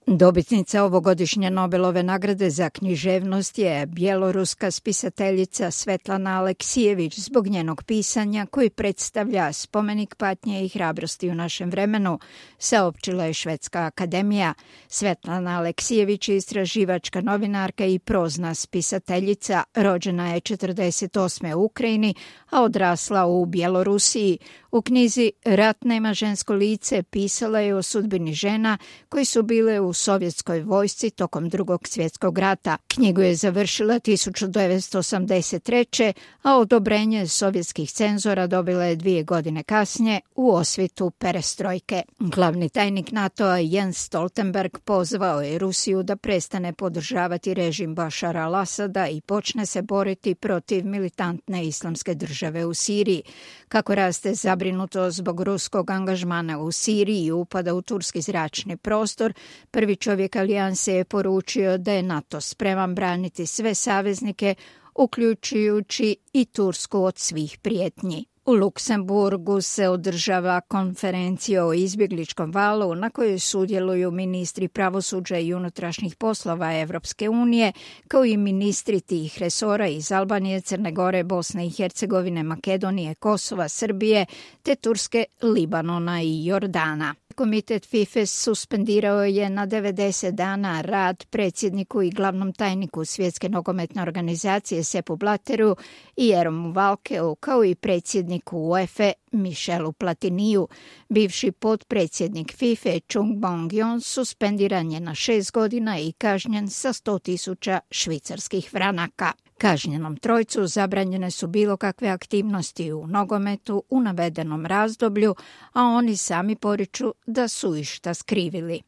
Dobitnica ovogodišnje Nobelove nagrade za književnost je bjeloruska spisateljica Svetlana Aleksijević zbog njenog pisanja koji predstavlja spomenik patnje i hrabrosti u našem vremenu, saopćila je Švedska akademija. Svetlana Aleksijević je istraživačka novinarka i prozna spisateljica, rođena je 1948. u Ukrajini, a odrasla u Bjelorusiji. U knjizi Rat nema žensko lice pisala je o sudbini žena koji su bile u sovjetskoj vojsci tokom Drugog svjetskog rata. Knjigu je završila 1983. a odobrenje sovjetskih cenzora dobila je 2 godine kasnije u osvitu perestrojke. Glavni tajnik NATO-a Jens Stoltenberg pozvao je Rusiju da prestane podržavati režim Bašara al-Asada i počne se boriti protiv militantne islamske države u Siriji. Kako raste zabrinutost zbog ruskog angažmana u Siriji i upada u turski zračni prostor, prvi čovjek alijanse je poručio da je NATO spreman braniti sve saveznike, uključujući i Tursku od svih prijetnji. U Luksemburgu se održava konferencija o izbjegličkom valu na kojoj sudjeluju ministri pravosuđa i unutrašnjih poslova Evropske unije, kao i ministri tih resora iz Albanije, Crne Gore, Bosne i Hercegovine, Makedonije, Kosova, Srbije, te Turske, Libanona i Jordana. Komitet FIFA suspendirao je na 90 dana rad predsjedniku i glavnom tajniku Svjetske nogometne organizacije Seppu Blatteru i Jeromu Valkeu, kao i predsjedniku UEFA Michelu Platiniju. Bivši potpredsjednik FIFA Chung Bong-yon suspendiran je na 6 godina i kažnjen sa 100.000 švicarskih franaka. Kažnjenom trojcu zabranjene su bilo kakve aktivnosti u nogometu u navedenom razdoblju, a oni sami poriču da su išta skrivili.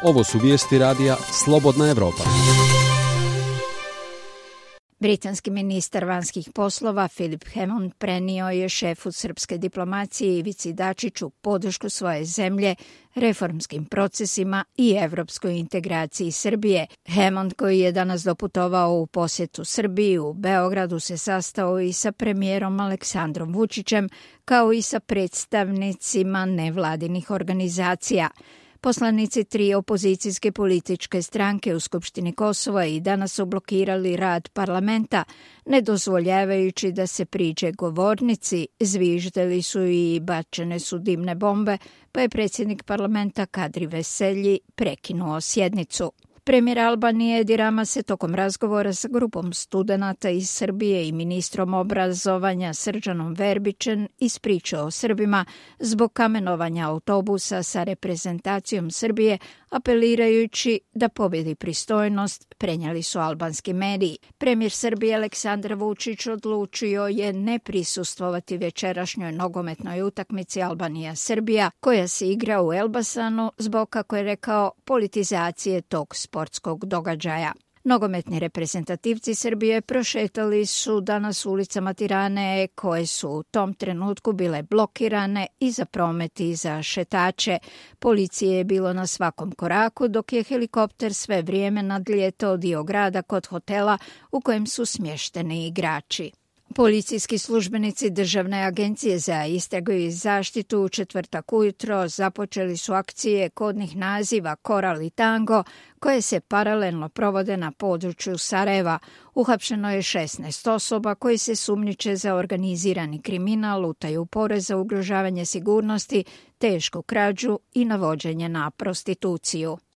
Ovo su vijesti radija Slobodna Evropa. Britanski ministar vanjskih poslova Philip Hammond prenio je šefu srpske diplomacije Ivici Dačiću podršku svoje zemlje reformskim procesima i evropskoj integraciji Srbije. Hammond, koji je danas doputovao u posjetu Srbiji u Beogradu, se sastao i sa premijerom Aleksandrom Vučićem, kao i sa predstavnicima nevladinih organizacija. Poslanici 3 opozicijske političke stranke u Skupštini Kosova i danas su blokirali rad parlamenta, ne dozvoljavajući da se priđe govornici, zviždali su i bačene su dimne bombe, pa je predsjednik parlamenta Kadri Veselji prekinuo sjednicu. Premijer Albanije Edi Rama se tokom razgovora sa grupom studenata iz Srbije i ministrom obrazovanja Srđanom Verbićem ispričao Srbima zbog kamenovanja autobusa sa reprezentacijom Srbije, apelirajući da pobjedi pristojnost, prenijeli su albanski mediji. Premijer Srbije Aleksandar Vučić odlučio je ne prisustvovati večerašnjoj nogometnoj utakmici Albanija-Srbija, koja se igra u Elbasanu zbog, kako je rekao, politizacije tog sportskog događaja. Nogometni reprezentativci Srbije prošetali su danas ulicama Tirane, koje su u tom trenutku bile blokirane i za promet i za šetače. Policije je bilo na svakom koraku, dok je helikopter sve vrijeme nadlijetao dio grada kod hotela u kojem su smješteni igrači. Policijski službenici Državne agencije za istragu i zaštitu u četvrtak ujutro započeli su akcije kodnih naziva Koral i Tango, koje se paralelno provode na području Sarajeva. Uhapšeno je 16 osoba koji se sumnjiče za organizirani kriminal, utaju poreza, ugrožavanje sigurnosti, tešku krađu i navođenje na prostituciju.